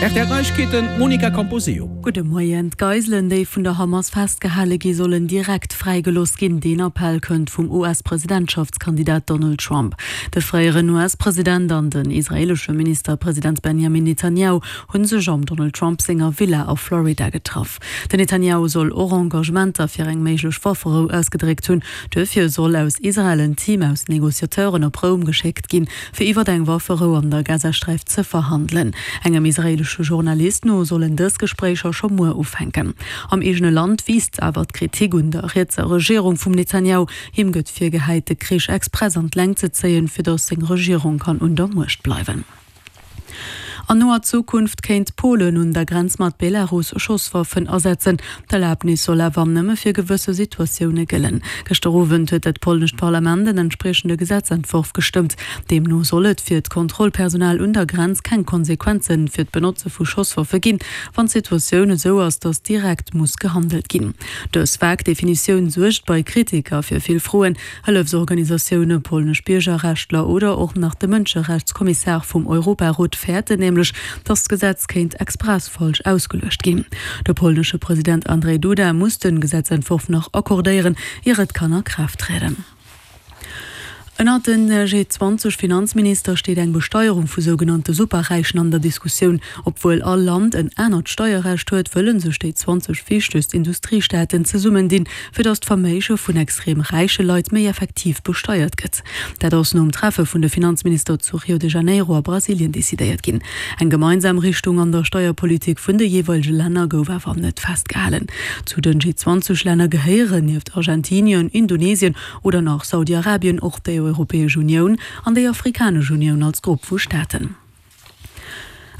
Rtl Neiegkeeten, d'Monica Camposeo. Gudde Moien. D'Geiselen, déi vun der Hamas festgehale gi sollen direkt fräigelooss ginn. Deen Appell kënnt vum US-Presidentschaftskandidat Donald Trump. De fréieren US-President an den israeelesche Ministerpresident Benjamin Netanjahu hu sech am Donald Trump senger Villa a Florida getraff. Den Netanjahu soll och Engagementer fir eng méiglech Wafferou ausgedréckt hunn. Duerfir soll aus Israel en Team aus Negociateuren op Roum geschéckt ginn, fir iwwer eng Wafferou an der Gazasträif ze verhandelen. Engem israeelesche Journalist no sollen dës Gespréicher scho muer ufänken. Am eegene Land wiisst awer d'Kritik un der rietser Regierung vum Netanjahu. Him gëtt virgehäit, de Krich express an d'Längt ze zéien, fir datt seng Regierung kann un der Muecht bleiwen. An noer Zukunft kéint Polen un der Grenz mat Belarus Schosswaffen asetzen. D'Erlabnis soll awer nëmme fir gewësse Situatioune gëllen. Gëschter Owend huet dat polnescht Parlament en entspriechende Gesetzentworf gestëmmt. Deemno soll et fir d'Kontrollpersonal un der Grenz keng Konsequenze fir d'Benotze vu Schosswaffe ginn, wann d'Situatioun esou ass, datt direkt muss gehandelt ginn. Dës vag Definitioun suergt bei Kritiker fir vill Froen. Hëllefsorganisatioune, polnesch Biergerrechtler oder och nach de Mënscherechtskommissar vum Europarot fäerten nämlech, datt d'Gesetz kéint express falsch ausgeluecht ginn. De polnesche President Andrzej Duda muss de Gesetzentworf nach accordéieren, ier et kann a Kraaft trieden. Ënnert den G20 Finanzminister steet eng Besteierung vu sougenannte Superräichen an der Diskussioun. Obwuel all Land en anert Steierrecht huet, wëlle sech déi 20 wichtegst Industriestaaten zesummendinn, fir datt d'Verméige vun extrem räiche Leit méi effektiv besteiert gëtt. Dat ass nom Treffe vun de Finanzminister zu Rio de Janeiro a Brasilien decidéiert ginn. Eng gemeinsam Richtung an der Steierpolitik vun de jeeweilege Länner gouf awer net festgehalen. Zu den G20-Länner gehéieren nieft Argentinien, Indonesien oder nach Saudi-Arabien och déi Europäesch Unioun an déi Afrikanesch Unioun als Grupp vu Staaten.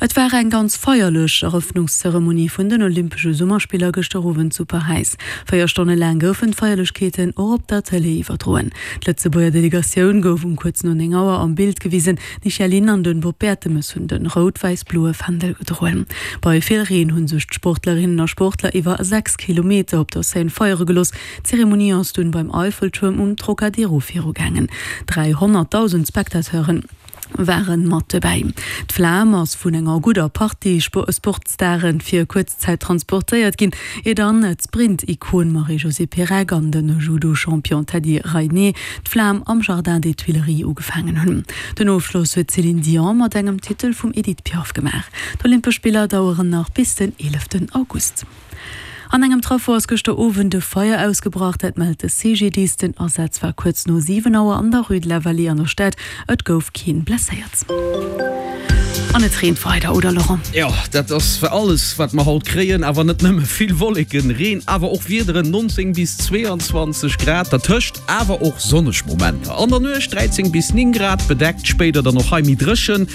Et war eng ganz feierlech Erëffnungszeremonie vun den Olympesche Summerspiller gëschter Owend zu Paräis. 4 Stonne laang goufen d'Feierlechkeeten och op der Tëlee iwwerdroen. D'Lëtzebuerger Delegatioun gouf um kuerz no 9 Auer am Bild gewisen. D'Michèle Lynn an den Bob Bertemes hunn den rout-wäiss-bloe Fändel gedroen. Bei vill Reen hunn sech d'Sportlerinnen a Sportler iwwer 6 Kilometer op der Seine feiere gelooss. D'Zeremonie ass dunn beim Eiffeltuerm um Trocadero virugaangen. 300.000 Spectateuren. Waren mat dobäi. D'Flam ass vun enger gudder Partie Sportstare fir kuerz Zäit transportéiert ginn, ier dann d'Sprint-Ikon Marie-Josée Pérec an de Judo-Champion Teddy Riner d'Flam am Jardin des Tuileries ugefaangen hunn. Den Ofschloss huet d'Céline Dion mat engem Titel vum Edith Piaf gemaach. D'Olympesch Spiller daueren nach bis den 11 August. An engem Traffo ass gëschter Owend e Feier ausgebrach, dat mellt de CGDIS. Den Asaz war kuerz no 7 Auer an der Rue de la Vallée an der Stad. Et gouf keen blesséiert. An et reent weider, oder Laurent? Jo, dat ass alles wat mer haut kréien, awer net nëmme vill Wolleken, Reen, awer och Wiederen, 19 bis 22 Grad, dertëscht awer och sonneg Momenter. An der Nuecht 13 bis 9 Grad, bedeckt, spéider dann och hei méi dréchen.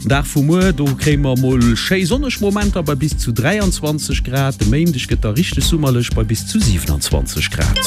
Dag vu muer, do kréie mer mol schéi sonneg Momenter bei bis zu 23 Grad. De Méindeg gëtt da richteg summerlech bei bis zu 27 Grad.